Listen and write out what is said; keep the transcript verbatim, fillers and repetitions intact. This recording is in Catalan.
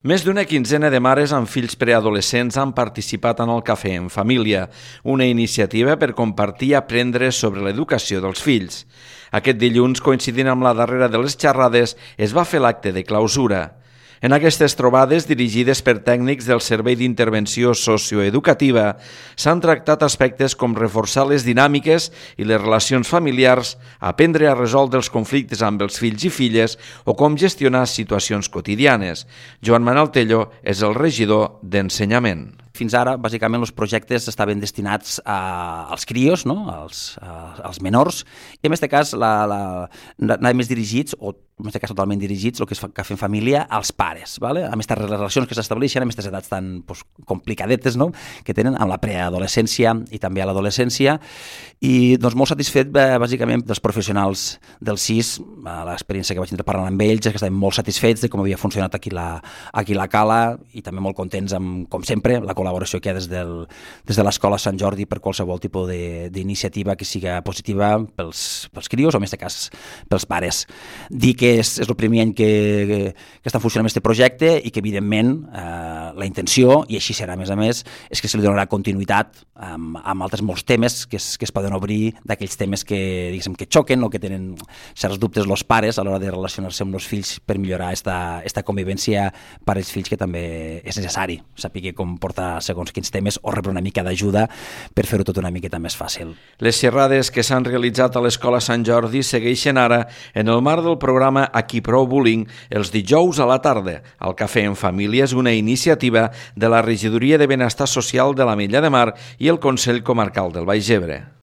Més d'una quinzena de mares amb fills preadolescents han participat en el Cafè en Família, una iniciativa per compartir i aprendre sobre l'educació dels fills. Aquest dilluns, coincidint amb la darrera de les xerrades, es va fer l'acte de clausura. En aquestes trobades, dirigides per tècnics del Servei d'Intervenció Socioeducativa, s'han tractat aspectes com reforçar les dinàmiques i les relacions familiars, aprendre a resoldre els conflictes amb els fills i filles o com gestionar situacions quotidianes. Joan Manuel Tello és el regidor d'Ensenyament. Fins ara, bàsicament, els projectes estaven destinats a, als crios, no? als, a, als menors, i en aquest cas la, la, anaven més dirigits, o en aquest cas totalment dirigits, el que és Cafè en Família, als pares, ¿vale? amb aquestes relacions que s'estableixen, amb aquestes edats tan pues, complicadetes, no? que tenen amb la preadolescència i també a l'adolescència, i doncs, molt satisfet, bàsicament, dels professionals del S I S, l'experiència que vaig tenir parlant amb ells, és que estaven molt satisfets de com havia funcionat aquí la, aquí la Cala, i també molt contents amb, com sempre, la col·laboració que hi ha des, del, des de l'Escola Sant Jordi per qualsevol tipus d'iniciativa que siga positiva pels, pels crios o en aquest cas pels pares. Dir que és, és el primer any que, que, que està funcionant aquest projecte i que evidentment eh, la intenció, i així serà a més a més, és que se li donarà continuïtat amb, amb altres molts temes que es, que es poden obrir, d'aquells temes que, diguéssim, que xoquen o que tenen certs dubtes els pares a l'hora de relacionar-se amb els fills per millorar esta, esta convivència pares-fills, que també és necessari saber com portar segons quins temes o rebre una mica d'ajuda per fer-ho tot una miqueta més fàcil. Les xerrades que s'han realitzat a l'Escola Sant Jordi segueixen ara en el marc del programa Aquí Prou Bullying els dijous a la tarda. El Cafè en Família és una iniciativa de la Regidoria de Benestar Social de l'Ametlla de Mar i el Consell Comarcal del Baix Ebre.